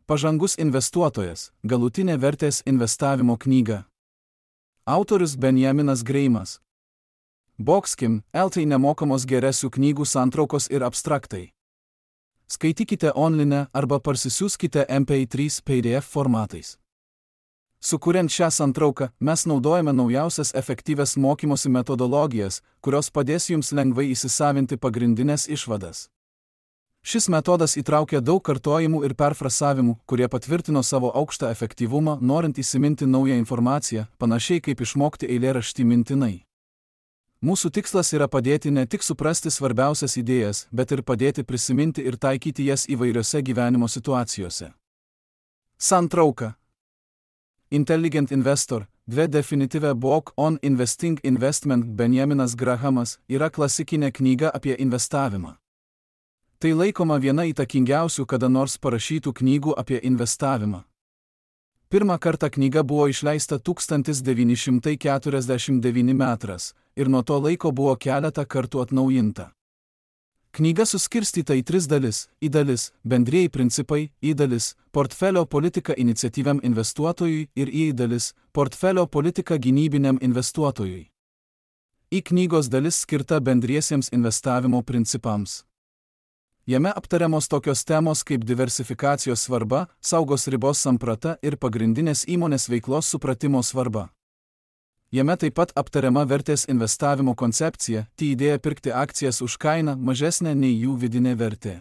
Pažangus investuotojas – galutinė vertės investavimo knyga. Autorius Benjaminas Greimas. Boxkim, LT nemokamos geresių knygų santraukos ir abstraktai. Skaitykite online arba parsisiųskite MP3 PDF formatais. Sukuriant šią santrauką, mes naudojame naujausias efektyvias mokymosi metodologijas, kurios padės jums lengvai įsisavinti pagrindinės išvadas. Šis metodas įtraukia daug kartojimų ir perfrasavimų, kurie patvirtino savo aukštą efektyvumą, norint įsiminti naują informaciją, panašiai kaip išmokti eilėraštį mintinai. Mūsų tikslas yra padėti ne tik suprasti svarbiausias idėjas, bet ir padėti prisiminti ir taikyti jas įvairiose gyvenimo situacijose. Santrauka. Intelligent Investor, The Definitive Book on Investing Investment Benjaminas Grahamas yra klasikinė knyga apie investavimą. Tai laikoma viena įtakingiausių kada nors parašytų knygų apie investavimą. Pirmą kartą knyga buvo išleista 1949 metais ir nuo to laiko buvo keletą kartų atnaujinta. Knyga suskirstyta į 3 dalis: I dalis – bendrieji principai, I dalis – portfelio politika iniciatyviam investuotojui ir I dalis – portfelio politika gynybiniam investuotojui. I knygos dalis skirta bendriesiems investavimo principams. Jame aptariamos tokios temos kaip diversifikacijos svarba, saugos ribos samprata ir pagrindinės įmonės veiklos supratimo svarba. Jame taip pat aptariama vertės investavimo koncepcija, tai idėja pirkti akcijas už kainą mažesnę nei jų vidinė vertė.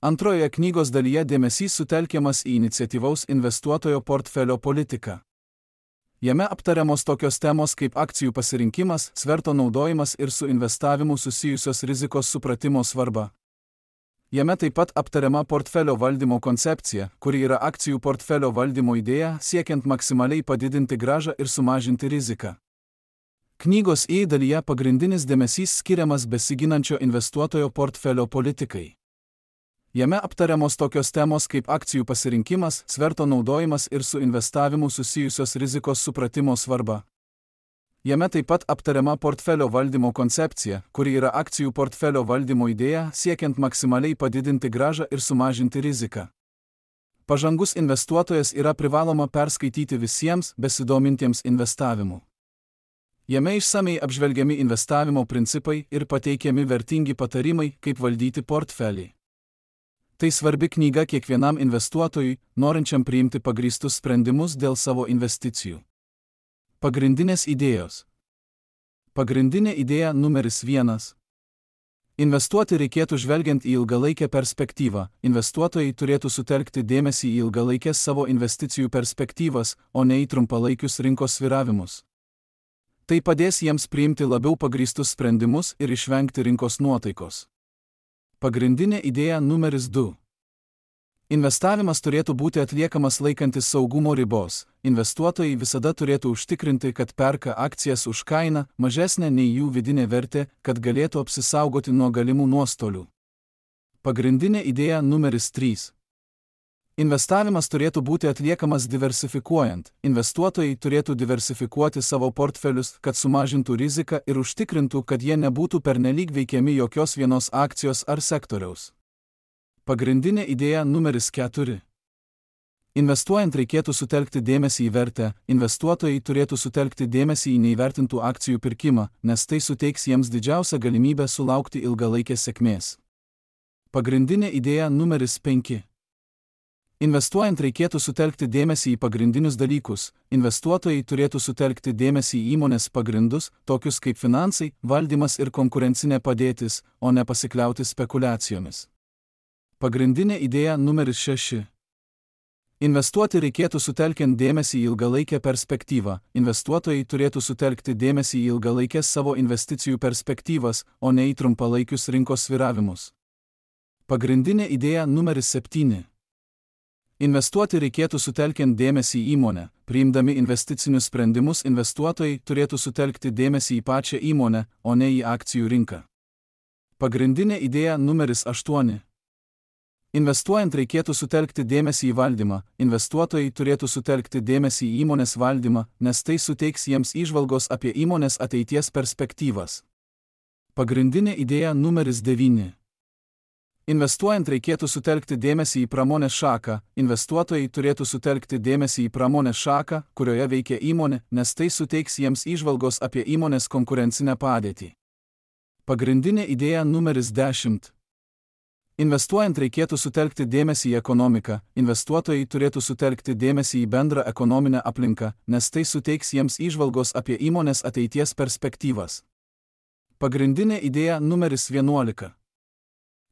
Antrojoje knygos dalyje dėmesys sutelkiamas į iniciatyvaus investuotojo portfelio politiką. Jame aptariamos tokios temos kaip akcijų pasirinkimas, sverto naudojimas ir su investavimu susijusios rizikos supratimo svarba. Jame taip pat aptariama portfelio valdymo koncepcija, kuri yra akcijų portfelio valdymo idėja, siekiant maksimaliai padidinti grąžą ir sumažinti riziką. Knygos I dalyje pagrindinis dėmesys skiriamas besiginančio investuotojo portfelio politikai. Jame aptariamos tokios temos kaip akcijų pasirinkimas, sverto naudojimas ir su investavimu susijusios rizikos supratimo svarba. Jame taip pat aptariama portfelio valdymo koncepcija, kuri yra akcijų portfelio valdymo idėja, siekiant maksimaliai padidinti grąžą ir sumažinti riziką. Pažangus investuotojas yra privaloma perskaityti visiems besidomintiems investavimu. Jame išsamiai apžvelgiami investavimo principai ir pateikiami vertingi patarimai, kaip valdyti portfelį. Tai svarbi knyga kiekvienam investuotojui, norinčiam priimti pagrįstus sprendimus dėl savo investicijų. Pagrindinės idėjos. Pagrindinė idėja numeris 1. Investuoti reikėtų žvelgiant į ilgalaikę perspektyvą. Investuotojai turėtų sutelkti dėmesį į ilgalaikės savo investicijų perspektyvas, o ne į trumpalaikius rinkos svyravimus. Tai padės jiems priimti labiau pagrįstus sprendimus ir išvengti rinkos nuotaikos. Pagrindinė idėja numeris 2. Investavimas turėtų būti atliekamas laikantis saugumo ribos. Investuotojai visada turėtų užtikrinti, kad perka akcijas už kainą mažesnę nei jų vidinė vertė, kad galėtų apsisaugoti nuo galimų nuostolių. Pagrindinė idėja numeris 3. Investavimas turėtų būti atliekamas diversifikuojant. Investuotojai turėtų diversifikuoti savo portfelius, kad sumažintų riziką ir užtikrintų, kad jie nebūtų pernelyg veikiami jokios vienos akcijos ar sektoriaus. Pagrindinė idėja numeris 4. Investuojant reikėtų sutelkti dėmesį į vertę. Investuotojai turėtų sutelkti dėmesį į neįvertintų akcijų pirkimą, nes tai suteiks jiems didžiausią galimybę sulaukti ilgalaikės sėkmės. Pagrindinė idėja numeris 5. Investuojant reikėtų sutelkti dėmesį į pagrindinius dalykus. Investuotojai turėtų sutelkti dėmesį į įmonės pagrindus, tokius kaip finansai, valdymas ir konkurencinė padėtis, o ne pasikliauti spekulacijomis. Pagrindinė idėja numeris 6. Investuoti reikėtų sutelkiant dėmesį į ilgalaikę perspektyvą. Investuotojai turėtų sutelkti dėmesį į ilgalaikės savo investicijų perspektyvas, o ne į trumpalaikius rinkos svyravimus. Pagrindinė idėja numeris 7. Investuoti reikėtų sutelkiant dėmesį į įmonę. Priimdami investicinius sprendimus investuotojai turėtų sutelkti dėmesį į pačią įmonę, o ne į akcijų rinką. Pagrindinė idėja numeris 8. Investuojant reikėtų sutelkti dėmesį į valdymą. Investuotojai turėtų sutelkti dėmesį į įmonės valdymą, nes tai suteiks jiems įžvalgos apie įmonės ateities perspektyvas. Pagrindinė idėja numeris 9. Investuojant reikėtų sutelkti dėmesį į pramonės šaką, investuotojai turėtų sutelkti dėmesį į pramonės šaką, kurioje veikia įmonė, nes tai suteiks jiems įžvalgos apie įmonės konkurencinę padėtį. Pagrindinė idėja numeris 10. Investuojant reikėtų sutelkti dėmesį į ekonomiką, investuotojai turėtų sutelkti dėmesį į bendrą ekonominę aplinką, nes tai suteiks jiems įžvalgos apie įmonės ateities perspektyvas. Pagrindinė idėja numeris 11.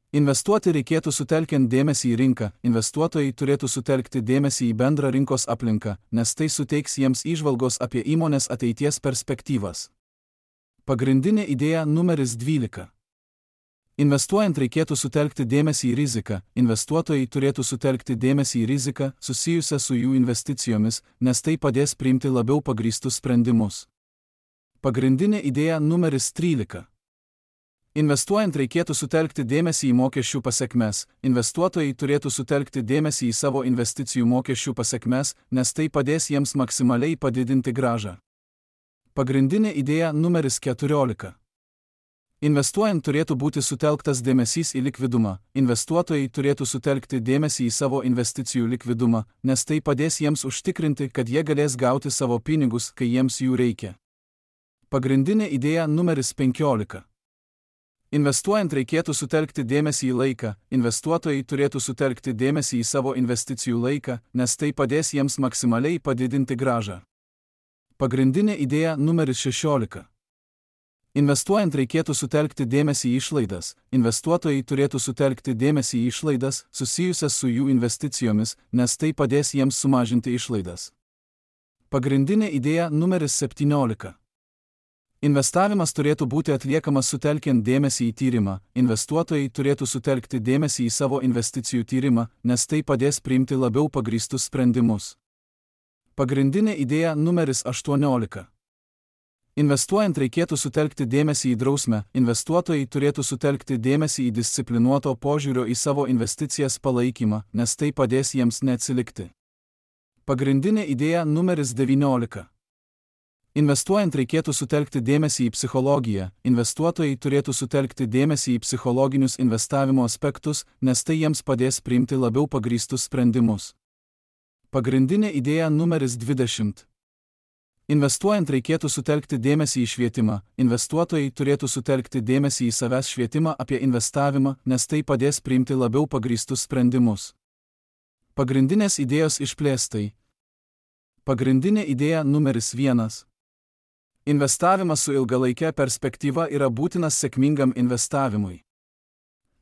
Investuoti reikėtų sutelkiant dėmesį į rinką, investuotojai turėtų sutelkti dėmesį į bendrą rinkos aplinką, nes tai suteiks jiems įžvalgos apie įmonės ateities perspektyvas. Pagrindinė idėja numeris 12. Investuojant reikėtų sutelkti dėmesį į riziką, investuotojai turėtų sutelkti dėmesį į riziką susijusią su jų investicijomis, nes tai padės priimti labiau pagrįstus sprendimus. Pagrindinė idėja numeris 13. Investuojant reikėtų sutelkti dėmesį į mokesčių pasekmes, investuotojai turėtų sutelkti dėmesį į savo investicijų mokesčių pasekmes, nes tai padės jiems maksimaliai padidinti grąžą. Pagrindinė idėja numeris 14. Investuojant turėtų būti sutelktas dėmesys į likvidumą, investuotojai turėtų sutelkti dėmesį į savo investicijų likvidumą, nes tai padės jiems užtikrinti, kad jie galės gauti savo pinigus, kai jiems jų reikia. Pagrindinė idėja numeris 15. Investuojant reikėtų sutelkti dėmesį į laiką, investuotojai turėtų sutelkti dėmesį į savo investicijų laiką, nes tai padės jiems maksimaliai padidinti grąžą. Pagrindinė idėja numeris 16. Investuojant reikėtų sutelkti dėmesį į išlaidas, investuotojai turėtų sutelkti dėmesį į išlaidas susijusias su jų investicijomis, nes tai padės jiems sumažinti išlaidas. Pagrindinė idėja numeris 17. Investavimas turėtų būti atliekamas sutelkiant dėmesį į tyrimą, investuotojai turėtų sutelkti dėmesį į savo investicijų tyrimą, nes tai padės priimti labiau pagrįstus sprendimus. Pagrindinė idėja numeris 18. Investuojant reikėtų sutelkti dėmesį į drausmę, investuotojai turėtų sutelkti dėmesį į disciplinuoto požiūrio į savo investicijas palaikymą, nes tai padės jiems neatsilikti. Pagrindinė idėja numeris 19. Investuojant reikėtų sutelkti dėmesį į psichologiją, investuotojai turėtų sutelkti dėmesį į psichologinius investavimo aspektus, nes tai jiems padės priimti labiau pagrįstus sprendimus. Pagrindinė idėja numeris 20. Investuojant reikėtų sutelkti dėmesį į švietimą, investuotojai turėtų sutelkti dėmesį į savęs švietimą apie investavimą, nes tai padės priimti labiau pagrįstus sprendimus. Pagrindinės idėjos išplėstai. Pagrindinė idėja numeris 1. Investavimas su ilgalaike perspektyva yra būtinas sėkmingam investavimui.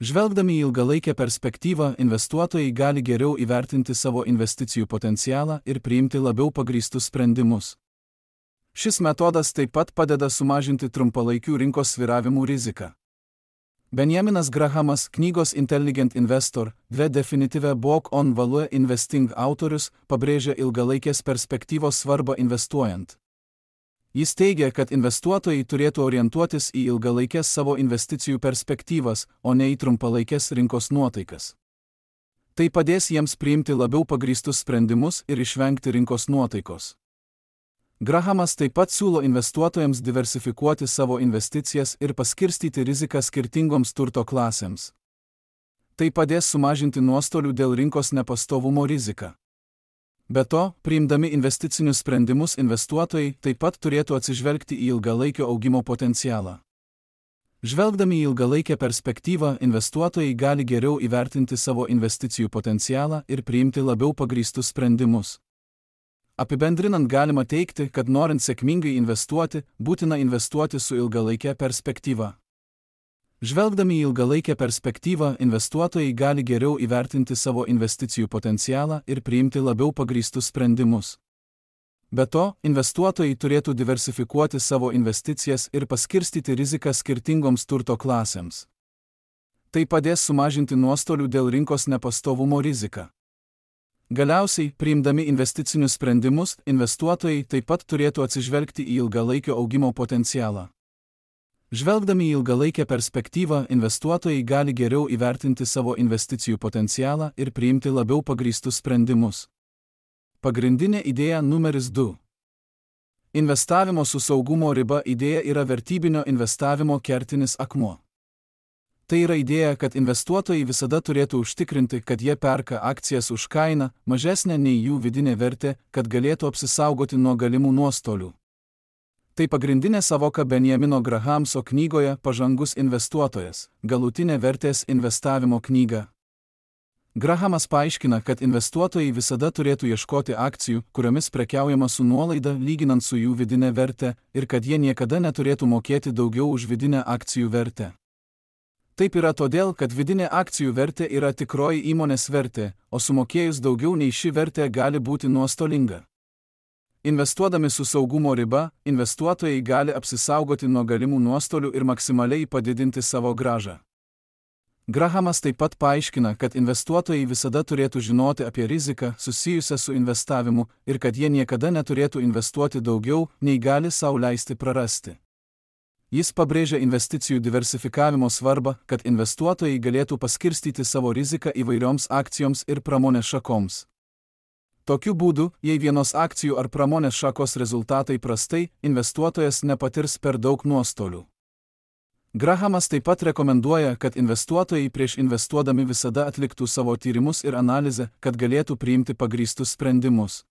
Žvelgdami į ilgalaikę perspektyvą, investuotojai gali geriau įvertinti savo investicijų potencialą ir priimti labiau pagrįstus sprendimus. Šis metodas taip pat padeda sumažinti trumpalaikių rinkos svyravimų riziką. Benjaminas Grahamas, knygos Intelligent Investor, The Definitive Book on Value Investing autorius, pabrėžia ilgalaikės perspektyvos svarbą investuojant. Jis teigia, kad investuotojai turėtų orientuotis į ilgalaikės savo investicijų perspektyvas, o ne į trumpalaikės rinkos nuotaikas. Tai padės jiems priimti labiau pagrįstus sprendimus ir išvengti rinkos nuotaikos. Grahamas taip pat siūlo investuotojams diversifikuoti savo investicijas ir paskirstyti riziką skirtingoms turto klasėms. Tai padės sumažinti nuostolių dėl rinkos nepastovumo riziką. Be to, priimdami investicinius sprendimus investuotojai taip pat turėtų atsižvelgti į ilgalaikio augimo potencialą. Žvelgdami į ilgalaikę perspektyvą, investuotojai gali geriau įvertinti savo investicijų potencialą ir priimti labiau pagrįstus sprendimus. Apibendrinant galima teigti, kad norint sėkmingai investuoti, būtina investuoti su ilgalaike perspektyva. Žvelgdami į ilgalaikę perspektyvą, investuotojai gali geriau įvertinti savo investicijų potencialą ir priimti labiau pagrįstus sprendimus. Be to, investuotojai turėtų diversifikuoti savo investicijas ir paskirstyti riziką skirtingoms turto klasėms. Tai padės sumažinti nuostolių dėl rinkos nepastovumo riziką. Galiausiai, priimdami investicinius sprendimus, investuotojai taip pat turėtų atsižvelgti į ilgalaikio augimo potencialą. Žvelgdami į ilgalaikę perspektyvą, investuotojai gali geriau įvertinti savo investicijų potencialą ir priimti labiau pagrįstus sprendimus. Pagrindinė idėja numeris 2. Investavimo su saugumo riba idėja yra vertybinio investavimo kertinis akmuo. Tai yra idėja, kad investuotojai visada turėtų užtikrinti, kad jie perka akcijas už kainą, mažesnę nei jų vidinė vertė, kad galėtų apsisaugoti nuo galimų nuostolių. Tai pagrindinė savoka Benjamino Grahamso knygoje Pažangus investuotojas – galutinė vertės investavimo knyga. Grahamas paaiškina, kad investuotojai visada turėtų ieškoti akcijų, kuriomis prekiaujama su nuolaida lyginant su jų vidinė vertė, ir kad jie niekada neturėtų mokėti daugiau už vidinę akcijų vertę. Taip yra todėl, kad vidinė akcijų vertė yra tikroji įmonės vertė, o sumokėjus daugiau nei ši vertė gali būti nuostolinga. Investuodami su saugumo riba, investuotojai gali apsisaugoti nuo galimų nuostolių ir maksimaliai padidinti savo grąžą. Grahamas taip pat paaiškina, kad investuotojai visada turėtų žinoti apie riziką susijusią su investavimu ir kad jie niekada neturėtų investuoti daugiau, nei gali sau leisti prarasti. Jis pabrėžia investicijų diversifikavimo svarbą, kad investuotojai galėtų paskirstyti savo riziką įvairioms akcijoms ir pramonės šakoms. Tokiu būdu, jei vienos akcijų ar pramonės šakos rezultatai prastai, investuotojas nepatirs per daug nuostolių. Grahamas taip pat rekomenduoja, kad investuotojai prieš investuodami visada atliktų savo tyrimus ir analizę, kad galėtų priimti pagrįstus sprendimus.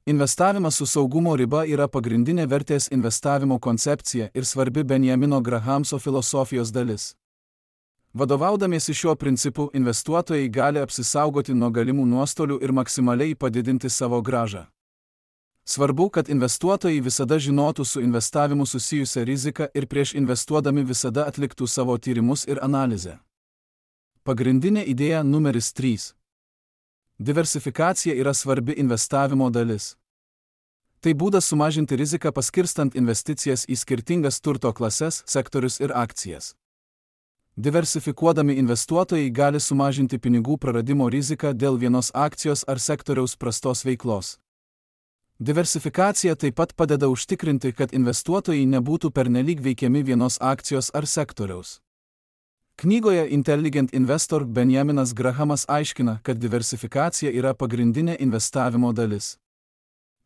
Investavimas su saugumo riba yra pagrindinė vertės investavimo koncepcija ir svarbi Benjamino Grahamso filosofijos dalis. Vadovaudamiesi šiuo principu, investuotojai gali apsisaugoti nuo galimų nuostolių ir maksimaliai padidinti savo grąžą. Svarbu, kad investuotojai visada žinotų su investavimu susijusią riziką ir prieš investuodami visada atliktų savo tyrimus ir analizę. Pagrindinė idėja numeris 3. Diversifikacija yra svarbi investavimo dalis. Tai būdas sumažinti riziką paskirstant investicijas į skirtingas turto klases, sektorius ir akcijas. Diversifikuodami investuotojai gali sumažinti pinigų praradimo riziką dėl vienos akcijos ar sektoriaus prastos veiklos. Diversifikacija taip pat padeda užtikrinti, kad investuotojai nebūtų pernelyg veikiami vienos akcijos ar sektoriaus. Knygoje Intelligent Investor Benjaminas Grahamas aiškina, kad diversifikacija yra pagrindinė investavimo dalis.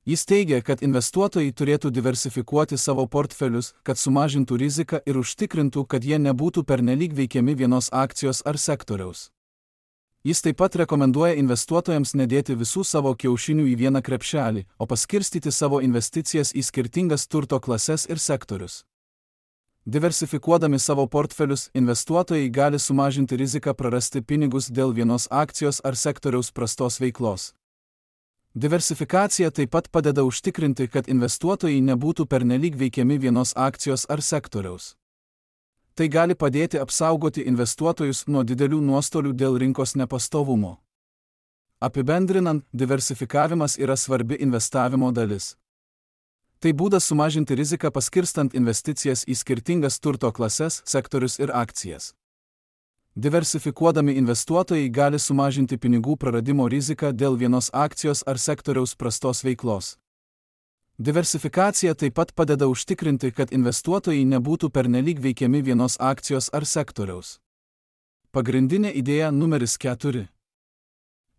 Jis teigia, kad investuotojai turėtų diversifikuoti savo portfelius, kad sumažintų riziką ir užtikrintų, kad jie nebūtų pernelyg veikiami vienos akcijos ar sektoriaus. Jis taip pat rekomenduoja investuotojams nedėti visų savo kiaušinių į vieną krepšelį, o paskirstyti savo investicijas į skirtingas turto klases ir sektorius. Diversifikuodami savo portfelius, investuotojai gali sumažinti riziką prarasti pinigus dėl vienos akcijos ar sektoriaus prastos veiklos. Diversifikacija taip pat padeda užtikrinti, kad investuotojai nebūtų pernelyg veikiami vienos akcijos ar sektoriaus. Tai gali padėti apsaugoti investuotojus nuo didelių nuostolių dėl rinkos nepastovumo. Apibendrinant, diversifikavimas yra svarbi investavimo dalis. Tai būdas sumažinti riziką paskirstant investicijas į skirtingas turto klases, sektorius ir akcijas. Diversifikuodami investuotojai gali sumažinti pinigų praradimo riziką dėl vienos akcijos ar sektoriaus prastos veiklos. Diversifikacija taip pat padeda užtikrinti, kad investuotojai nebūtų pernelyg veikiami vienos akcijos ar sektoriaus. Pagrindinė idėja numeris 4.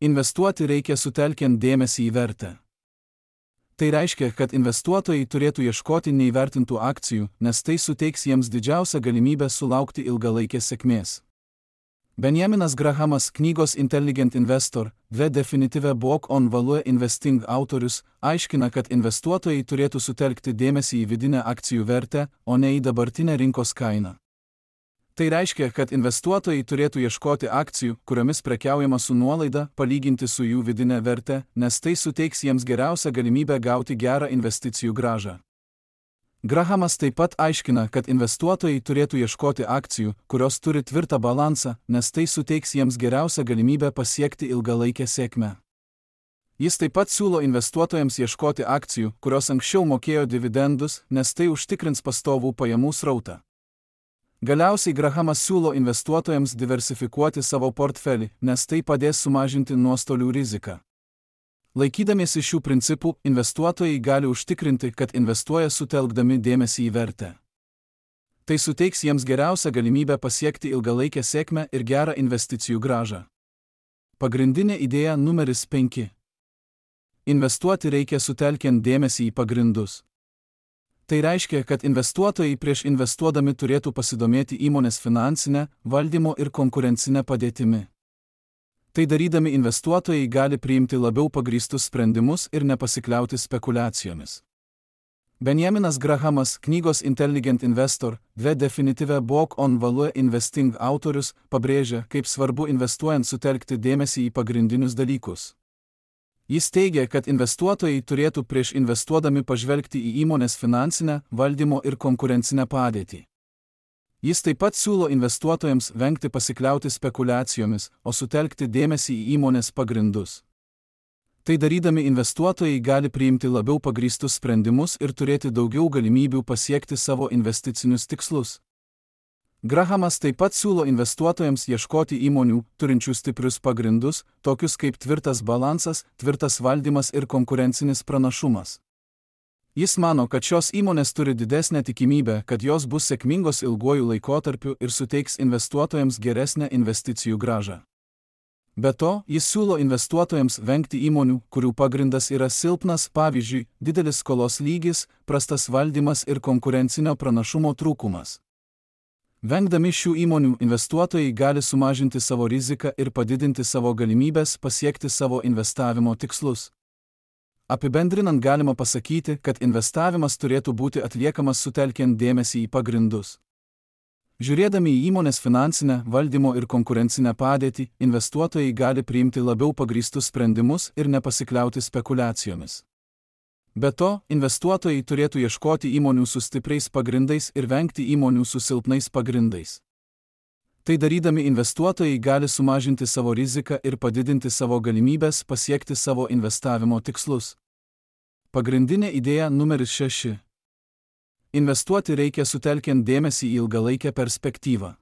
Investuoti reikia sutelkiant dėmesį į vertę. Tai reiškia, kad investuotojai turėtų ieškoti neįvertintų akcijų, nes tai suteiks jiems didžiausią galimybę sulaukti ilgalaikės sėkmės. Benjaminas Grahamas, knygos Intelligent Investor, The Definitive Book on Value Investing autorius, aiškina, kad investuotojai turėtų sutelkti dėmesį į vidinę akcijų vertę, o ne į dabartinę rinkos kainą. Tai reiškia, kad investuotojai turėtų ieškoti akcijų, kuriomis prekiaujama su nuolaida, palyginti su jų vidinė vertė, nes tai suteiks jiems geriausią galimybę gauti gerą investicijų grąžą. Grahamas taip pat aiškina, kad investuotojai turėtų ieškoti akcijų, kurios turi tvirtą balansą, nes tai suteiks jiems geriausią galimybę pasiekti ilgalaikę sėkmę. Jis taip pat siūlo investuotojams ieškoti akcijų, kurios anksčiau mokėjo dividendus, nes tai užtikrins pastovų pajamų srautą. Galiausiai Grahamas siūlo investuotojams diversifikuoti savo portfelį, nes tai padės sumažinti nuostolių riziką. Laikydamiesi šių principų, investuotojai gali užtikrinti, kad investuoja sutelkdami dėmesį į vertę. Tai suteiks jiems geriausią galimybę pasiekti ilgalaikę sėkmę ir gerą investicijų grąžą. Pagrindinė idėja numeris 5. Investuoti reikia sutelkiant dėmesį į pagrindus. Tai reiškia, kad investuotojai prieš investuodami turėtų pasidomėti įmonės finansinę, valdymo ir konkurencinę padėtimi. Tai darydami investuotojai gali priimti labiau pagrįstus sprendimus ir nepasikliauti spekulacijomis. Benjaminas Grahamas, knygos Intelligent Investor, The Definitive Book on Value Investing autorius, pabrėžia, kaip svarbu investuojant sutelkti dėmesį į pagrindinius dalykus. Jis teigia, kad investuotojai turėtų prieš investuodami pažvelgti į įmonės finansinę, valdymo ir konkurencinę padėtį. Jis taip pat siūlo investuotojams vengti pasikliauti spekulacijomis, o sutelkti dėmesį į įmonės pagrindus. Tai darydami investuotojai gali priimti labiau pagrįstus sprendimus ir turėti daugiau galimybių pasiekti savo investicinius tikslus. Grahamas taip pat siūlo investuotojams ieškoti įmonių, turinčių stiprius pagrindus, tokius kaip tvirtas balansas, tvirtas valdymas ir konkurencinis pranašumas. Jis mano, kad šios įmonės turi didesnę tikimybę, kad jos bus sėkmingos ilguoju laikotarpiu ir suteiks investuotojams geresnę investicijų grąžą. Be to, jis siūlo investuotojams vengti įmonių, kurių pagrindas yra silpnas, pavyzdžiui, didelis skolos lygis, prastas valdymas ir konkurencinio pranašumo trūkumas. Vengdami šių įmonių, investuotojai gali sumažinti savo riziką ir padidinti savo galimybės pasiekti savo investavimo tikslus. Apibendrinant galima pasakyti, kad investavimas turėtų būti atliekamas sutelkiant dėmesį į pagrindus. Žiūrėdami į įmonės finansinę, valdymo ir konkurencinę padėtį, investuotojai gali priimti labiau pagrįstus sprendimus ir nepasikliauti spekulacijomis. Be to, investuotojai turėtų ieškoti įmonių su stipriais pagrindais ir vengti įmonių su silpnais pagrindais. Tai darydami investuotojai gali sumažinti savo riziką ir padidinti savo galimybės pasiekti savo investavimo tikslus. Pagrindinė idėja numeris 6. Investuoti reikia sutelkiant dėmesį į ilgalaikę perspektyvą.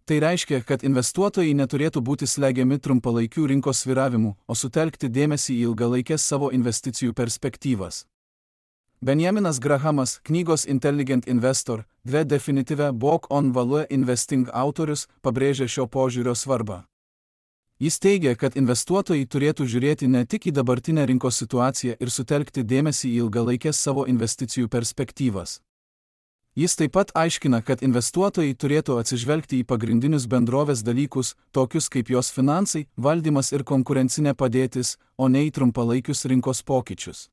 Tai reiškia, kad investuotojai neturėtų būti slegiami trumpalaikių rinkos svyravimų, o sutelkti dėmesį į ilgalaikės savo investicijų perspektyvas. Benjaminas Grahamas, knygos Intelligent Investor, The Definitive Book on Value Investing autorius, pabrėžia šio požiūrio svarbą. Jis teigia, kad investuotojai turėtų žiūrėti ne tik į dabartinę rinkos situaciją ir sutelkti dėmesį į ilgalaikės savo investicijų perspektyvas. Jis taip pat aiškina, kad investuotojai turėtų atsižvelgti į pagrindinius bendrovės dalykus, tokius kaip jos finansai, valdymas ir konkurencinė padėtis, o ne į trumpalaikius rinkos pokyčius.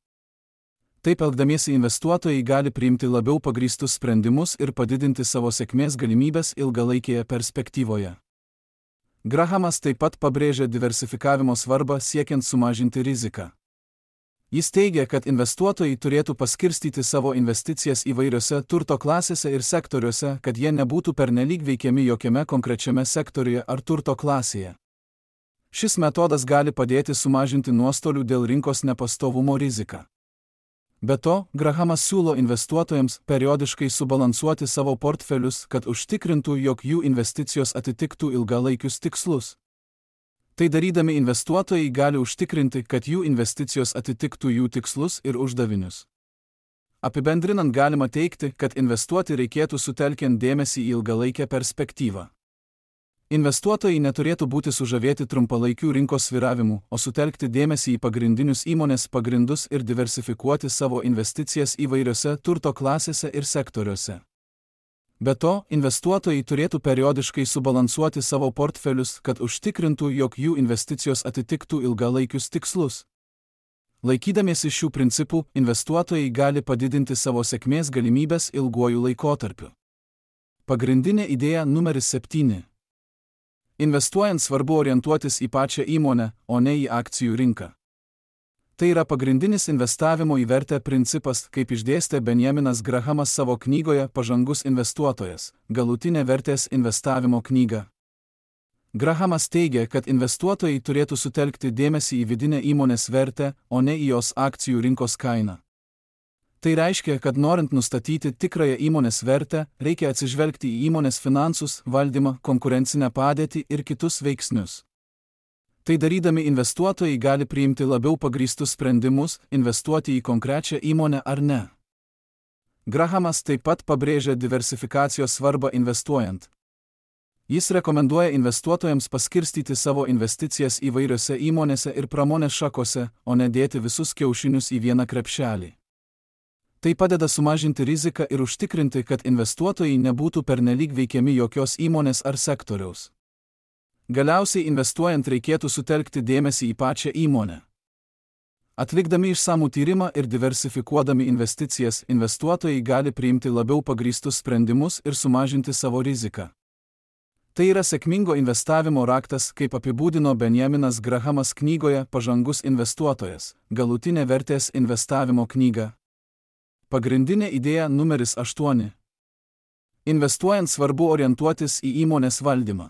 Taip elgdamiesi investuotojai gali priimti labiau pagrįstus sprendimus ir padidinti savo sėkmės galimybės ilgalaikėje perspektyvoje. Grahamas taip pat pabrėžia diversifikavimo svarbą siekiant sumažinti riziką. Jis teigia, kad investuotojai turėtų paskirstyti savo investicijas įvairiose turto klasėse ir sektoriuose, kad jie nebūtų pernelyg veikiami jokiame konkrečiame sektoriuje ar turto klasėje. Šis metodas gali padėti sumažinti nuostolių dėl rinkos nepastovumo riziką. Be to, Grahamas siūlo investuotojams periodiškai subalansuoti savo portfelius, kad užtikrintų, jog jų investicijos atitiktų ilgalaikius tikslus. Tai darydami investuotojai gali užtikrinti, kad jų investicijos atitiktų jų tikslus ir uždavinius. Apibendrinant galima teigti, kad investuoti reikėtų sutelkiant dėmesį į ilgalaikę perspektyvą. Investuotojai neturėtų būti sužavėti trumpalaikių rinkos svyravimų, o sutelkti dėmesį į pagrindinius įmonės pagrindus ir diversifikuoti savo investicijas įvairiose turto klasėse ir sektoriuose. Be to, investuotojai turėtų periodiškai subalansuoti savo portfelius, kad užtikrintų, jog jų investicijos atitiktų ilgalaikius tikslus. Laikydamiesi šių principų, investuotojai gali padidinti savo sėkmės galimybės ilguoju laikotarpiu. Pagrindinė idėja numeris 7. Investuojant svarbu orientuotis į pačią įmonę, o ne į akcijų rinką. Tai yra pagrindinis investavimo į vertę principas, kaip išdėstė Benjaminas Grahamas savo knygoje Pažangus investuotojas, galutinė vertės investavimo knyga. Grahamas teigia, kad investuotojai turėtų sutelkti dėmesį į vidinę įmonės vertę, o ne į jos akcijų rinkos kainą. Tai reiškia, kad norint nustatyti tikrąją įmonės vertę, reikia atsižvelgti į įmonės finansus, valdymą, konkurencinę padėtį ir kitus veiksnius. Tai darydami investuotojai gali priimti labiau pagrįstus sprendimus, investuoti į konkrečią įmonę ar ne. Grahamas taip pat pabrėžia diversifikacijos svarbą investuojant. Jis rekomenduoja investuotojams paskirstyti savo investicijas įvairiose įmonėse ir pramonės šakose, o ne dėti visus kiaušinius į vieną krepšelį. Tai padeda sumažinti riziką ir užtikrinti, kad investuotojai nebūtų pernelyg veikiami jokios įmonės ar sektoriaus. Galiausiai investuojant reikėtų sutelkti dėmesį į pačią įmonę. Atlikdami išsamų tyrimą ir diversifikuodami investicijas, investuotojai gali priimti labiau pagrįstus sprendimus ir sumažinti savo riziką. Tai yra sėkmingo investavimo raktas, kaip apibūdino Benjaminas Grahamas knygoje Pažangus investuotojas, galutinė vertės investavimo knyga. Pagrindinė idėja numeris 8. Investuojant svarbu orientuotis į įmonės valdymą.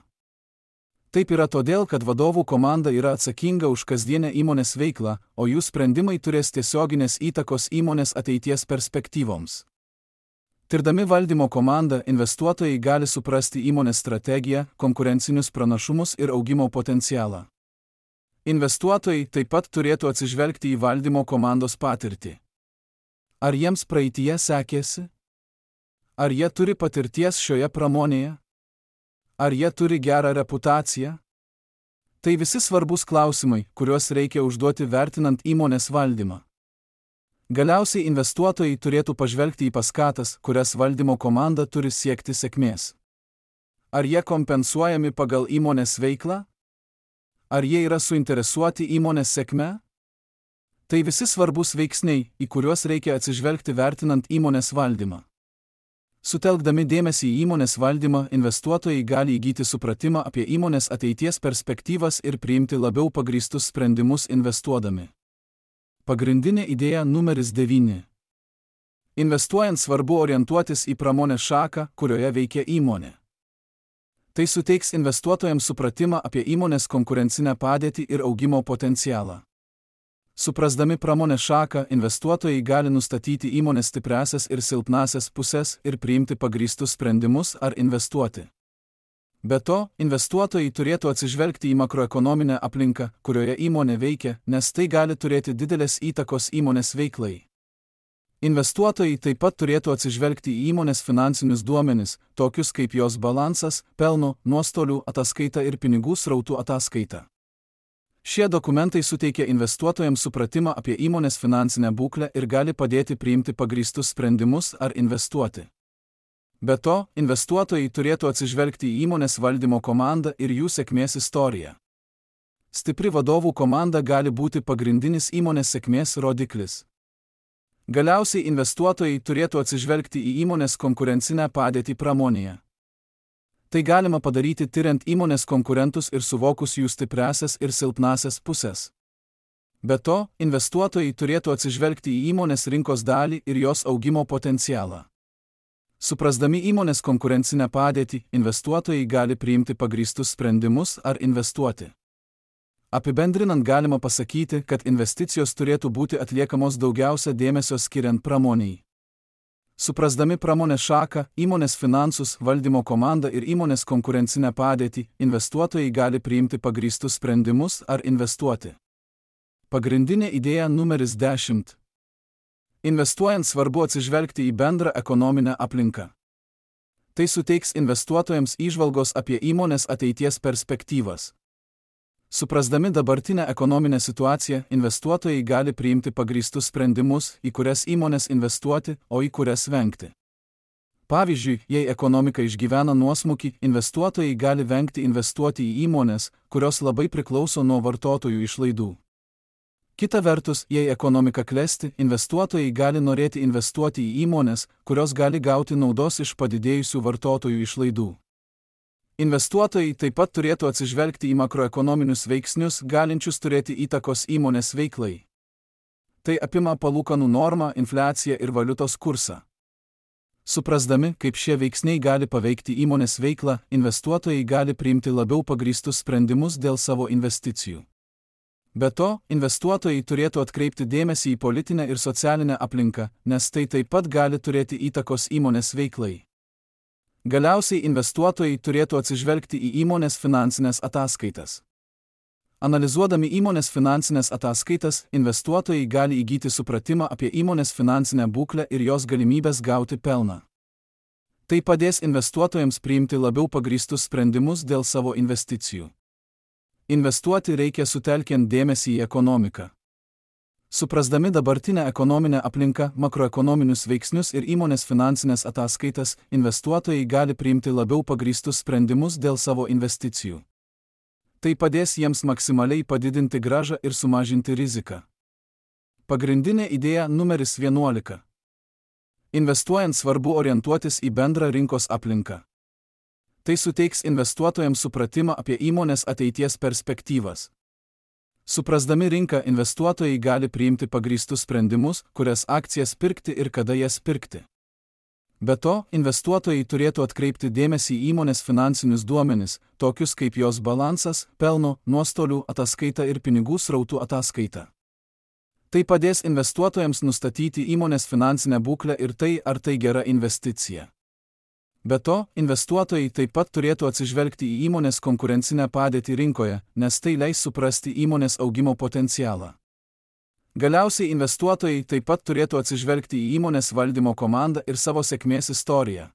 Taip yra todėl, kad vadovų komanda yra atsakinga už kasdienę įmonės veiklą, o jų sprendimai turės tiesioginės įtakos įmonės ateities perspektyvoms. Tirdami valdymo komandą, investuotojai gali suprasti įmonės strategiją, konkurencinius pranašumus ir augimo potencialą. Investuotojai taip pat turėtų atsižvelgti į valdymo komandos patirtį. Ar jiems praeityje sekėsi? Ar jie turi patirties šioje pramonėje? Ar jie turi gerą reputaciją? Tai visi svarbus klausimai, kuriuos reikia užduoti vertinant įmonės valdymą. Galiausiai investuotojai turėtų pažvelgti į paskatas, kurias valdymo komanda turi siekti sėkmės. Ar jie kompensuojami pagal įmonės veiklą? Ar jie yra suinteresuoti įmonės sėkme? Tai visi svarbus veiksniai, į kuriuos reikia atsižvelgti vertinant įmonės valdymą. Sutelkdami dėmesį į įmonės valdymą, investuotojai gali įgyti supratimą apie įmonės ateities perspektyvas ir priimti labiau pagrįstus sprendimus investuodami. Pagrindinė idėja numeris 9. Investuojant svarbu orientuotis į pramonės šaką, kurioje veikia įmonė. Tai suteiks investuotojams supratimą apie įmonės konkurencinę padėtį ir augimo potencialą. Suprasdami pramonės šaką, investuotojai gali nustatyti įmonės stipriąsias ir silpnąsias pusės ir priimti pagrįstus sprendimus ar investuoti. Be to, investuotojai turėtų atsižvelgti į makroekonominę aplinką, kurioje įmonė veikia, nes tai gali turėti didelės įtakos įmonės veiklai. Investuotojai taip pat turėtų atsižvelgti į įmonės finansinius duomenis, tokius kaip jos balansas, pelno, nuostolių ataskaita ir pinigų srautų ataskaita. Šie dokumentai suteikia investuotojams supratimą apie įmonės finansinę būklę ir gali padėti priimti pagrįstus sprendimus ar investuoti. Be to, investuotojai turėtų atsižvelgti į įmonės valdymo komandą ir jų sėkmės istoriją. Stipri vadovų komanda gali būti pagrindinis įmonės sėkmės rodiklis. Galiausiai investuotojai turėtų atsižvelgti į įmonės konkurencinę padėtį pramonėje. Tai galima padaryti tiriant įmonės konkurentus ir suvokus jų stipriąsias ir silpnąsias pusės. Be to, investuotojai turėtų atsižvelgti į įmonės rinkos dalį ir jos augimo potencialą. Suprasdami įmonės konkurencinę padėtį, investuotojai gali priimti pagrįstus sprendimus ar investuoti. Apibendrinant galima pasakyti, kad investicijos turėtų būti atliekamos daugiausia dėmesio skiriant pramoniai. Suprasdami pramonės šaką, įmonės finansus, valdymo komandą ir įmonės konkurencinę padėtį, investuotojai gali priimti pagrįstus sprendimus ar investuoti. Pagrindinė idėja numeris 10. Investuojant svarbu atsižvelgti į bendrą ekonominę aplinką. Tai suteiks investuotojams įžvalgos apie įmonės ateities perspektyvas. Suprasdami dabartinę ekonominę situaciją, investuotojai gali priimti pagrįstus sprendimus, į kurias įmonės investuoti, o į kurias vengti. Pavyzdžiui, jei ekonomika išgyvena nuosmukį, investuotojai gali vengti investuoti į įmonės, kurios labai priklauso nuo vartotojų išlaidų. Kita vertus, jei ekonomika klesti, investuotojai gali norėti investuoti į įmonės, kurios gali gauti naudos iš padidėjusių vartotojų išlaidų. Investuotojai taip pat turėtų atsižvelgti į makroekonominius veiksnius, galinčius turėti įtakos įmonės veiklai. Tai apima palūkanų normą, infliaciją ir valiutos kursą. Suprasdami, kaip šie veiksniai gali paveikti įmonės veiklą, investuotojai gali priimti labiau pagrįstus sprendimus dėl savo investicijų. Be to, investuotojai turėtų atkreipti dėmesį į politinę ir socialinę aplinką, nes tai taip pat gali turėti įtakos įmonės veiklai. Galiausiai investuotojai turėtų atsižvelgti į įmonės finansinės ataskaitas. Analizuodami įmonės finansinės ataskaitas, investuotojai gali įgyti supratimą apie įmonės finansinę būklę ir jos galimybės gauti pelną. Tai padės investuotojams priimti labiau pagrįstus sprendimus dėl savo investicijų. Investuoti reikia sutelkiant dėmesį į ekonomiką. Suprasdami dabartinę ekonominę aplinką, makroekonominius veiksnius ir įmonės finansinės ataskaitas, investuotojai gali priimti labiau pagrįstus sprendimus dėl savo investicijų. Tai padės jiems maksimaliai padidinti grąžą ir sumažinti riziką. Pagrindinė idėja numeris 11. Investuojant svarbu orientuotis į bendrą rinkos aplinką. Tai suteiks investuotojams supratimą apie įmonės ateities perspektyvas. Suprasdami rinką, investuotojai gali priimti pagrįstus sprendimus, kurias akcijas pirkti ir kada jas pirkti. Be to, investuotojai turėtų atkreipti dėmesį į įmonės finansinius duomenis, tokius kaip jos balansas, pelno, nuostolių ataskaita ir pinigų srautų ataskaita. Tai padės investuotojams nustatyti įmonės finansinę būklę ir tai, ar tai gera investicija. Be to, investuotojai taip pat turėtų atsižvelgti į įmonės konkurencinę padėtį rinkoje, nes tai leis suprasti įmonės augimo potencialą. Galiausiai investuotojai taip pat turėtų atsižvelgti į įmonės valdymo komandą ir savo sėkmės istoriją.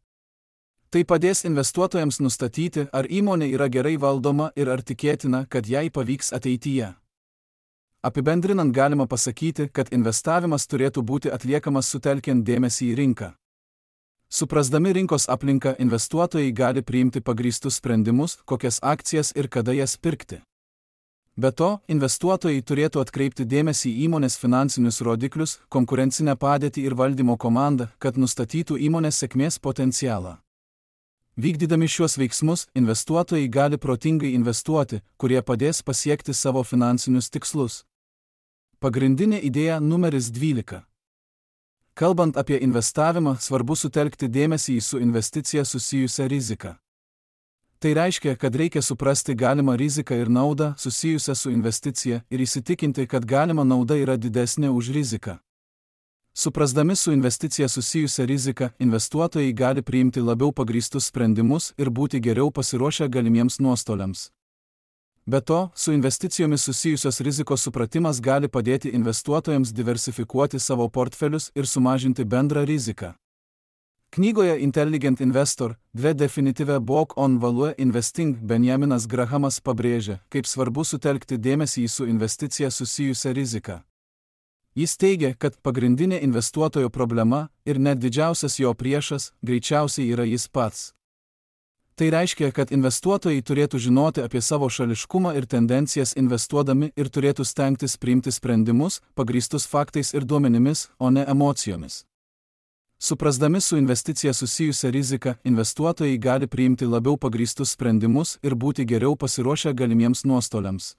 Tai padės investuotojams nustatyti, ar įmonė yra gerai valdoma ir ar tikėtina, kad jai pavyks ateityje. Apibendrinant galima pasakyti, kad investavimas turėtų būti atliekamas sutelkiant dėmesį į rinką. Suprasdami rinkos aplinką, investuotojai gali priimti pagrįstus sprendimus, kokias akcijas ir kada jas pirkti. Be to, investuotojai turėtų atkreipti dėmesį į įmonės finansinius rodiklius, konkurencinę padėtį ir valdymo komandą, kad nustatytų įmonės sėkmės potencialą. Vykdydami šiuos veiksmus, investuotojai gali protingai investuoti, kurie padės pasiekti savo finansinius tikslus. Pagrindinė idėja numeris 12. Kalbant apie investavimą, svarbu sutelkti dėmesį į su investicija susijusią riziką. Tai reiškia, kad reikia suprasti galimą riziką ir naudą susijusią su investicija ir įsitikinti, kad galima nauda yra didesnė už riziką. Suprasdami su investicija susijusią riziką, investuotojai gali priimti labiau pagrįstus sprendimus ir būti geriau pasiruošę galimiems nuostoliams. Be to, su investicijomis susijusios rizikos supratimas gali padėti investuotojams diversifikuoti savo portfelius ir sumažinti bendrą riziką. Knygoje Intelligent Investor, The Definitive Book on Value Investing Benjaminas Grahamas pabrėžia, kaip svarbu sutelkti dėmesį į su investicija susijusią riziką. Jis teigia, kad pagrindinė investuotojo problema ir net didžiausias jo priešas greičiausiai yra jis pats. Tai reiškia, kad investuotojai turėtų žinoti apie savo šališkumą ir tendencijas investuodami ir turėtų stengtis priimti sprendimus, pagrįstus faktais ir duomenimis, o ne emocijomis. Suprasdami su investicija susijusią riziką, investuotojai gali priimti labiau pagrįstus sprendimus ir būti geriau pasiruošę galimiems nuostoliams.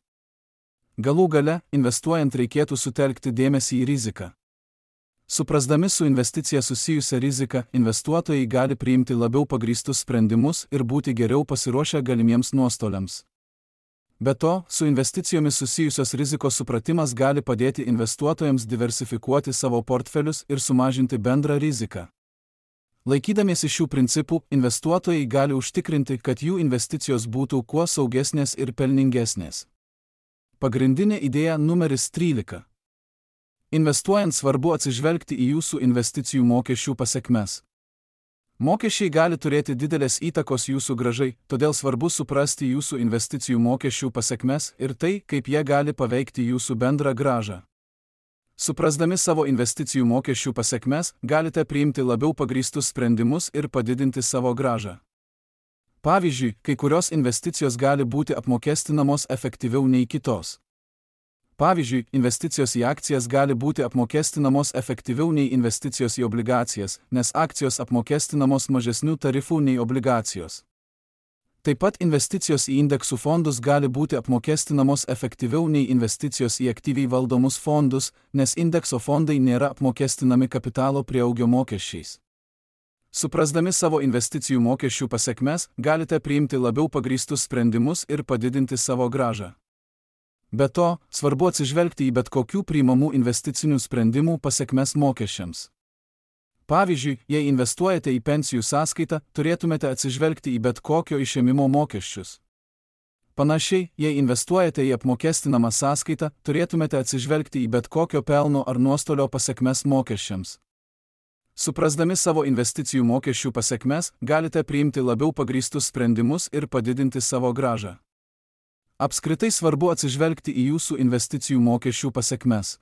Galų gale, investuojant reikėtų sutelkti dėmesį į riziką. Suprasdami su investicija susijusią riziką, investuotojai gali priimti labiau pagrįstus sprendimus ir būti geriau pasiruošę galimiems nuostoliams. Be to, su investicijomis susijusios rizikos supratimas gali padėti investuotojams diversifikuoti savo portfelius ir sumažinti bendrą riziką. Laikydamiesi šių principų, investuotojai gali užtikrinti, kad jų investicijos būtų kuo saugesnės ir pelningesnės. Pagrindinė idėja numeris 13. Investuojant svarbu atsižvelgti į jūsų investicijų mokesčių pasekmes. Mokesčiai gali turėti didelės įtakos jūsų grąžai, todėl svarbu suprasti jūsų investicijų mokesčių pasekmes ir tai, kaip jie gali paveikti jūsų bendrą grąžą. Suprasdami savo investicijų mokesčių pasekmes, galite priimti labiau pagrįstus sprendimus ir padidinti savo grąžą. Pavyzdžiui, kai kurios investicijos gali būti apmokestinamos efektyviau nei kitos. Pavyzdžiui, investicijos į akcijas gali būti apmokestinamos efektyviau nei investicijos į obligacijas, nes akcijos apmokestinamos mažesnių tarifų nei obligacijos. Taip pat investicijos į indeksų fondus gali būti apmokestinamos efektyviau nei investicijos į aktyviai valdomus fondus, nes indekso fondai nėra apmokestinami kapitalo prieaugio mokesčiais. Suprasdami savo investicijų mokesčių pasekmes, galite priimti labiau pagrįstus sprendimus ir padidinti savo grąžą. Be to, svarbu atsižvelgti į bet kokių priimamų investicinių sprendimų pasekmes mokesčiams. Pavyzdžiui, jei investuojate į pensijų sąskaitą, turėtumėte atsižvelgti į bet kokio išėmimo mokesčius. Panašiai, jei investuojate į apmokestinamą sąskaitą, turėtumėte atsižvelgti į bet kokio pelno ar nuostolio pasekmes mokesčiams. Suprasdami savo investicijų mokesčių pasekmes, galite priimti labiau pagrįstus sprendimus ir padidinti savo grąžą. Apskritai svarbu atsižvelgti į jūsų investicijų mokesčių pasekmes.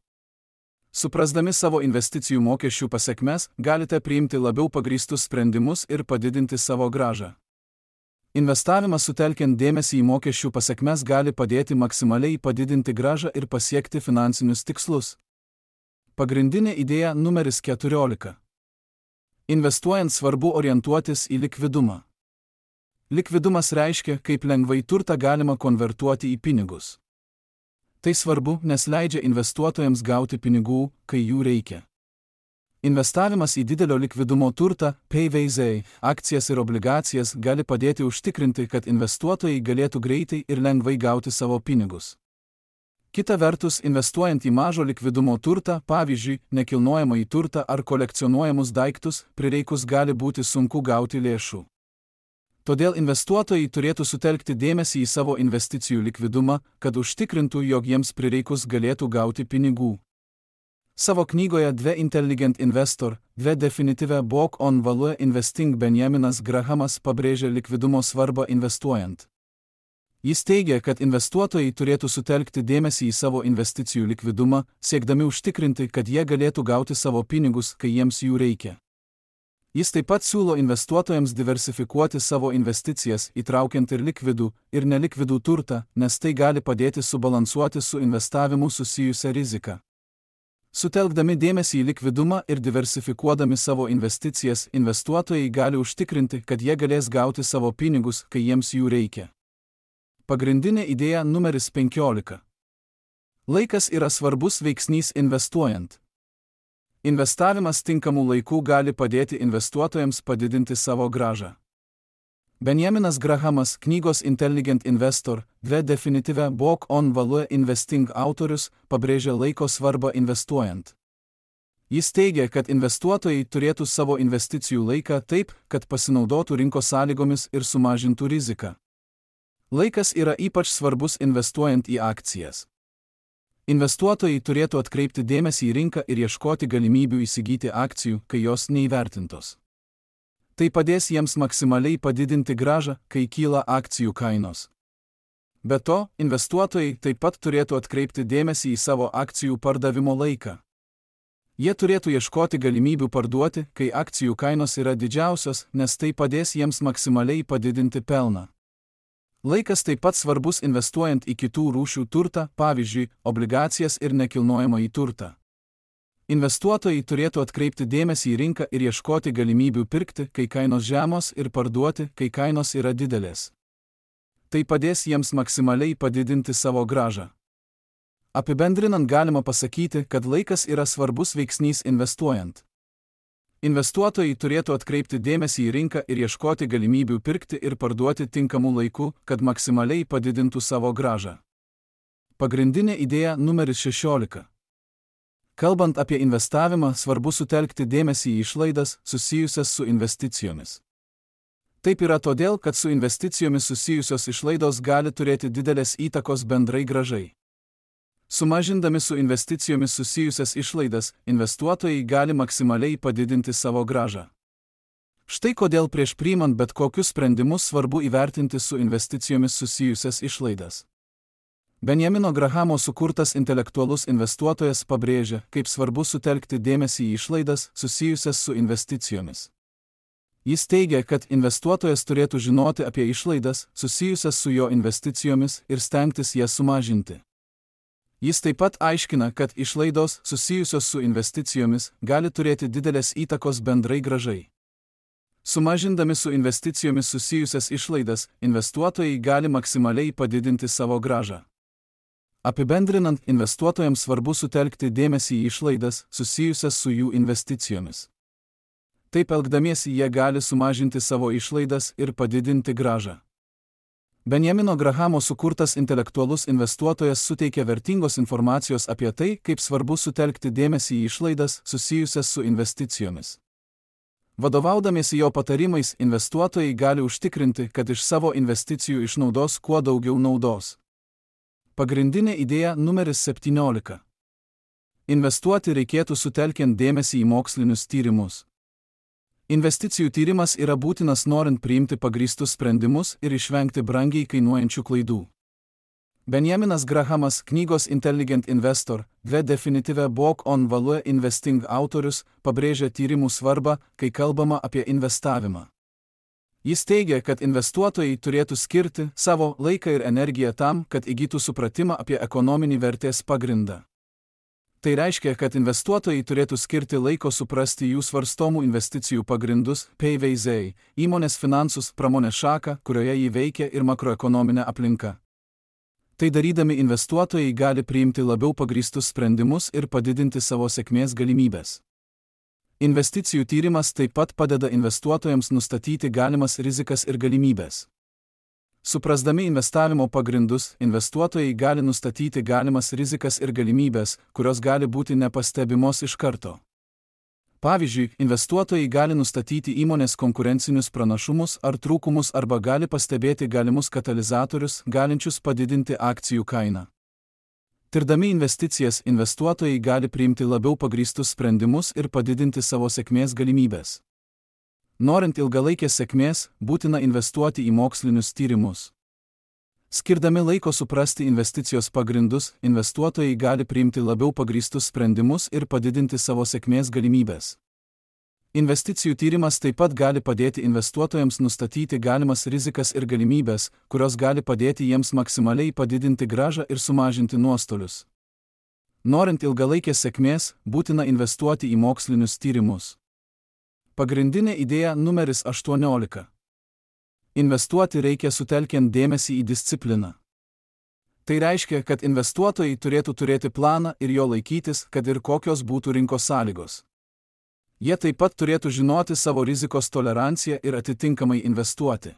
Suprasdami savo investicijų mokesčių pasekmes, galite priimti labiau pagrįstus sprendimus ir padidinti savo grąžą. Investavimas sutelkiant dėmesį į mokesčių pasekmes gali padėti maksimaliai padidinti grąžą ir pasiekti finansinius tikslus. Pagrindinė idėja numeris 14. Investuojant svarbu orientuotis į likvidumą. Likvidumas reiškia, kaip lengvai turtą galima konvertuoti į pinigus. Tai svarbu, nes leidžia investuotojams gauti pinigų, kai jų reikia. Investavimas į didelio likvidumo turtą, PVZ, akcijas ir obligacijas gali padėti užtikrinti, kad investuotojai galėtų greitai ir lengvai gauti savo pinigus. Kita vertus, investuojant į mažo likvidumo turtą, pavyzdžiui, nekilnojamąjį turtą ar kolekcionuojamus daiktus, prireikus gali būti sunku gauti lėšų. Todėl investuotojai turėtų sutelkti dėmesį į savo investicijų likvidumą, kad užtikrintų, jog jiems prireikus galėtų gauti pinigų. Savo knygoje The Intelligent Investor, The Definitive Book on Value Investing Benjaminas Grahamas pabrėžia likvidumo svarbą investuojant. Jis teigia, kad investuotojai turėtų sutelkti dėmesį į savo investicijų likvidumą, siekdami užtikrinti, kad jie galėtų gauti savo pinigus, kai jiems jų reikia. Jis taip pat siūlo investuotojams diversifikuoti savo investicijas, įtraukiant ir likvidų, ir nelikvidų turtą, nes tai gali padėti subalansuoti su investavimu susijusią riziką. Sutelkdami dėmesį į likvidumą ir diversifikuodami savo investicijas, investuotojai gali užtikrinti, kad jie galės gauti savo pinigus, kai jiems jų reikia. Pagrindinė idėja numeris 15. Laikas yra svarbus veiksnys investuojant. Investavimas tinkamų laikų gali padėti investuotojams padidinti savo grąžą. Benjaminas Grahamas, knygos Intelligent Investor, The Definitive Book on Value Investing autorius, pabrėžia laiko svarbą investuojant. Jis teigia, kad investuotojai turėtų savo investicijų laiką taip, kad pasinaudotų rinkos sąlygomis ir sumažintų riziką. Laikas yra ypač svarbus investuojant į akcijas. Investuotojai turėtų atkreipti dėmesį į rinką ir ieškoti galimybių įsigyti akcijų, kai jos neįvertintos. Tai padės jiems maksimaliai padidinti grąžą, kai kyla akcijų kainos. Be to, investuotojai taip pat turėtų atkreipti dėmesį į savo akcijų pardavimo laiką. Jie turėtų ieškoti galimybių parduoti, kai akcijų kainos yra didžiausios, nes tai padės jiems maksimaliai padidinti pelną. Laikas taip pat svarbus investuojant į kitų rūšių turtą, pavyzdžiui, obligacijas ir nekilnojamąjį turtą. Investuotojai turėtų atkreipti dėmesį į rinką ir ieškoti galimybių pirkti, kai kainos žemos, ir parduoti, kai kainos yra didelės. Tai padės jiems maksimaliai padidinti savo grąžą. Apibendrinant galima pasakyti, kad laikas yra svarbus veiksnys investuojant. Investuotojai turėtų atkreipti dėmesį į rinką ir ieškoti galimybių pirkti ir parduoti tinkamu laiku, kad maksimaliai padidintų savo grąžą. Pagrindinė idėja numeris 16. Kalbant apie investavimą, svarbu sutelkti dėmesį į išlaidas susijusias su investicijomis. Taip yra todėl, kad su investicijomis susijusios išlaidos gali turėti didelės įtakos bendrai grąžai. Sumažindami su investicijomis susijusias išlaidas, investuotojai gali maksimaliai padidinti savo grąžą. Štai kodėl prieš priimant bet kokius sprendimus svarbu įvertinti su investicijomis susijusias išlaidas. Benjamino Grahamo sukurtas intelektualus investuotojas pabrėžia, kaip svarbu sutelkti dėmesį į išlaidas susijusias su investicijomis. Jis teigia, kad investuotojas turėtų žinoti apie išlaidas susijusias su jo investicijomis ir stengtis jas sumažinti. Jis taip pat aiškina, kad išlaidos susijusios su investicijomis gali turėti didelės įtakos bendrai grąžai. Sumažindami su investicijomis susijusias išlaidas, investuotojai gali maksimaliai padidinti savo grąžą. Apibendrinant, investuotojams svarbu sutelkti dėmesį į išlaidas susijusias su jų investicijomis. Taip elgdamiesi jie gali sumažinti savo išlaidas ir padidinti grąžą. Benjamino Grahamo sukurtas intelektualus investuotojas suteikia vertingos informacijos apie tai, kaip svarbu sutelkti dėmesį į išlaidas susijusias su investicijomis. Vadovaudamiesi jo patarimais, investuotojai gali užtikrinti, kad iš savo investicijų išnaudos kuo daugiau naudos. Pagrindinė idėja numeris 17. Investuoti reikėtų sutelkiant dėmesį į mokslinius tyrimus. Investicijų tyrimas yra būtinas norint priimti pagrįstus sprendimus ir išvengti brangiai kainuojančių klaidų. Benjaminas Grahamas, knygos Intelligent Investor, The Definitive Book on Value Investing autorius, pabrėžia tyrimų svarbą, kai kalbama apie investavimą. Jis teigia, kad investuotojai turėtų skirti savo laiką ir energiją tam, kad įgytų supratimą apie ekonominį vertės pagrindą. Tai reiškia, kad investuotojai turėtų skirti laiko suprasti jų svarstomų investicijų pagrindus, PVZ, įmonės finansus, pramonės šaką, kurioje jį veikia, ir makroekonominę aplinką. Tai darydami investuotojai gali priimti labiau pagrįstus sprendimus ir padidinti savo sėkmės galimybės. Investicijų tyrimas taip pat padeda investuotojams nustatyti galimas rizikas ir galimybės. Suprasdami investavimo pagrindus, investuotojai gali nustatyti galimas rizikas ir galimybės, kurios gali būti nepastebimos iš karto. Pavyzdžiui, investuotojai gali nustatyti įmonės konkurencinius pranašumus ar trūkumus arba gali pastebėti galimus katalizatorius, galinčius padidinti akcijų kainą. Tirdami investicijas, investuotojai gali priimti labiau pagrįstus sprendimus ir padidinti savo sėkmės galimybės. Norint ilgalaikės sėkmės, būtina investuoti į mokslinius tyrimus. Skirdami laiko suprasti investicijos pagrindus, investuotojai gali priimti labiau pagrįstus sprendimus ir padidinti savo sėkmės galimybės. Investicijų tyrimas taip pat gali padėti investuotojams nustatyti galimas rizikas ir galimybės, kurios gali padėti jiems maksimaliai padidinti grąžą ir sumažinti nuostolius. Norint ilgalaikės sėkmės, būtina investuoti į mokslinius tyrimus. Pagrindinė idėja numeris 18. Investuoti reikia sutelkiant dėmesį į discipliną. Tai reiškia, kad investuotojai turėtų turėti planą ir jo laikytis, kad ir kokios būtų rinkos sąlygos. Jie taip pat turėtų žinoti savo rizikos toleranciją ir atitinkamai investuoti.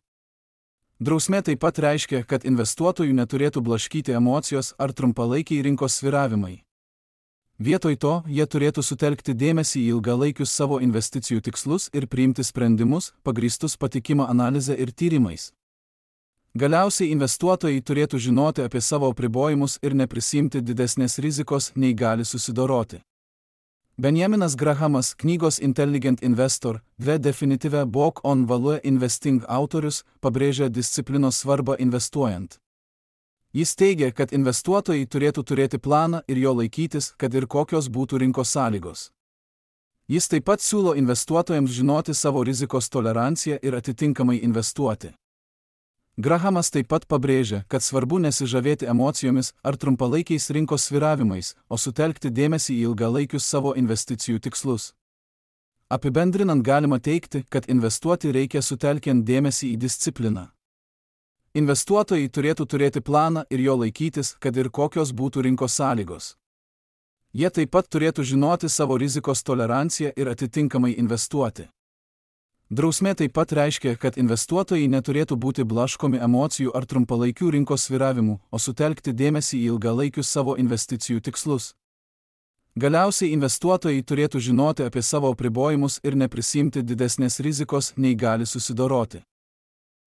Drausmė taip pat reiškia, kad investuotojų neturėtų blaškyti emocijos ar trumpalaikiai rinkos svyravimai. Vietoj to, jie turėtų sutelkti dėmesį į ilgalaikius savo investicijų tikslus ir priimti sprendimus, pagrįstus patikima analize ir tyrimais. Galiausiai investuotojai turėtų žinoti apie savo apribojimus ir neprisimti didesnės rizikos, nei gali susidoroti. Benjaminas Grahamas, knygos Intelligent Investor, The Definitive Book on Value Investing autorius, pabrėžia disciplinos svarbą investuojant. Jis teigia, kad investuotojai turėtų turėti planą ir jo laikytis, kad ir kokios būtų rinkos sąlygos. Jis taip pat siūlo investuotojams žinoti savo rizikos toleranciją ir atitinkamai investuoti. Grahamas taip pat pabrėžia, kad svarbu nesižavėti emocijomis ar trumpalaikiais rinkos svyravimais, o sutelkti dėmesį į ilgalaikius savo investicijų tikslus. Apibendrinant galima teigti, kad investuoti reikia sutelkiant dėmesį į discipliną. Investuotojai turėtų turėti planą ir jo laikytis, kad ir kokios būtų rinkos sąlygos. Jie taip pat turėtų žinoti savo rizikos toleranciją ir atitinkamai investuoti. Drausmė taip pat reiškia, kad investuotojai neturėtų būti blaškomi emocijų ar trumpalaikių rinkos svyravimų, o sutelkti dėmesį į ilgalaikius savo investicijų tikslus. Galiausiai investuotojai turėtų žinoti apie savo apribojimus ir neprisimti didesnės rizikos, nei gali susidoroti.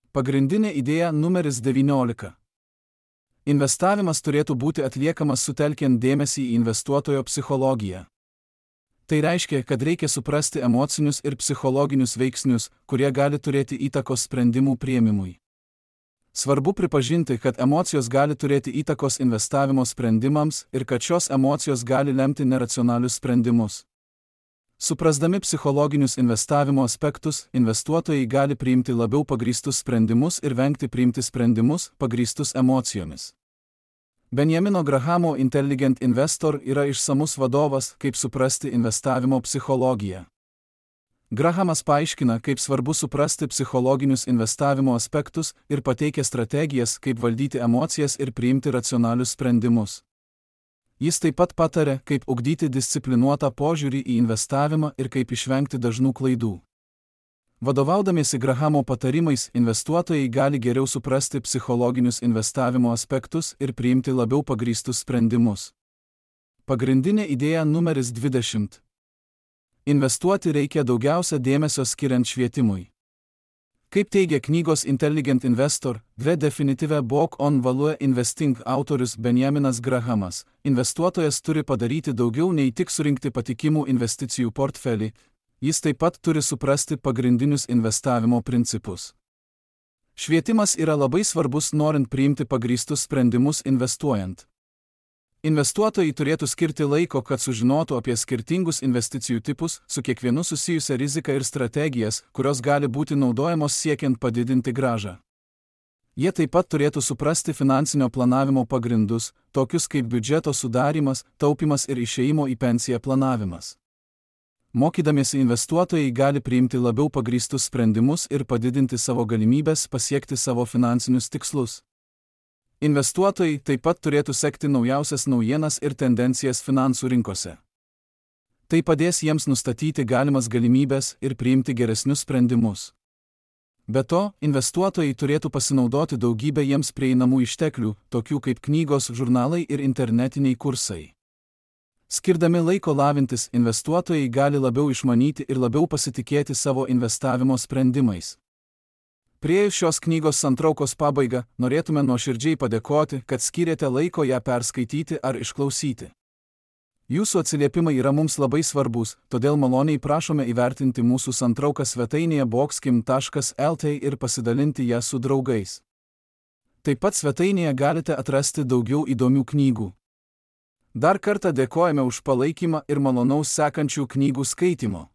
Pagrindinė idėja numeris 19. Investavimas turėtų būti atliekamas sutelkiant dėmesį į investuotojo psichologiją. Tai reiškia, kad reikia suprasti emocinius ir psichologinius veiksnius, kurie gali turėti įtakos sprendimų priėmimui. Svarbu pripažinti, kad emocijos gali turėti įtakos investavimo sprendimams ir kad šios emocijos gali lemti neracionalius sprendimus. Suprasdami psichologinius investavimo aspektus, investuotojai gali priimti labiau pagrįstus sprendimus ir vengti priimti sprendimus, pagrįstus emocijomis. Benjamino Grahamo Intelligent Investor yra išsamus vadovas, kaip suprasti investavimo psichologiją. Grahamas paaiškina, kaip svarbu suprasti psichologinius investavimo aspektus ir pateikia strategijas, kaip valdyti emocijas ir priimti racionalius sprendimus. Jis taip pat pataria, kaip ugdyti disciplinuotą požiūrį į investavimą ir kaip išvengti dažnų klaidų. Vadovaudamiesi Grahamo patarimais, investuotojai gali geriau suprasti psichologinius investavimo aspektus ir priimti labiau pagrįstus sprendimus. Pagrindinė idėja numeris 20. Investuoti reikia daugiausia dėmesio skiriant švietimui. Kaip teigia knygos Intelligent Investor, The Definitive Book on Value Investing autorius Benjaminas Grahamas, investuotojas turi padaryti daugiau nei tik surinkti patikimų investicijų portfelį, jis taip pat turi suprasti pagrindinius investavimo principus. Švietimas yra labai svarbus norint priimti pagrįstus sprendimus investuojant. Investuotojai turėtų skirti laiko, kad sužinotų apie skirtingus investicijų tipus, su kiekvienu susijusią riziką ir strategijas, kurios gali būti naudojamos siekiant padidinti grąžą. Jie taip pat turėtų suprasti finansinio planavimo pagrindus, tokius kaip biudžeto sudarymas, taupimas ir išėjimo į pensiją planavimas. Mokydamiesi investuotojai gali priimti labiau pagrįstus sprendimus ir padidinti savo galimybes pasiekti savo finansinius tikslus. Investuotojai taip pat turėtų sekti naujausias naujienas ir tendencijas finansų rinkose. Tai padės jiems nustatyti galimas galimybes ir priimti geresnius sprendimus. Be to, investuotojai turėtų pasinaudoti daugybę jiems prieinamų išteklių, tokių kaip knygos, žurnalai ir internetiniai kursai. Skirdami laiko lavintis, investuotojai gali labiau išmanyti ir labiau pasitikėti savo investavimo sprendimais. Priėjus šios knygos santraukos pabaigą, norėtume nuoširdžiai padėkoti, kad skyrėte laiko ją perskaityti ar išklausyti. Jūsų atsiliepimai yra mums labai svarbus, todėl maloniai prašome įvertinti mūsų santrauką svetainėje boxkim.lt ir pasidalinti ją su draugais. Taip pat svetainėje galite atrasti daugiau įdomių knygų. Dar kartą dėkojame už palaikymą ir malonaus sekančių knygų skaitymo.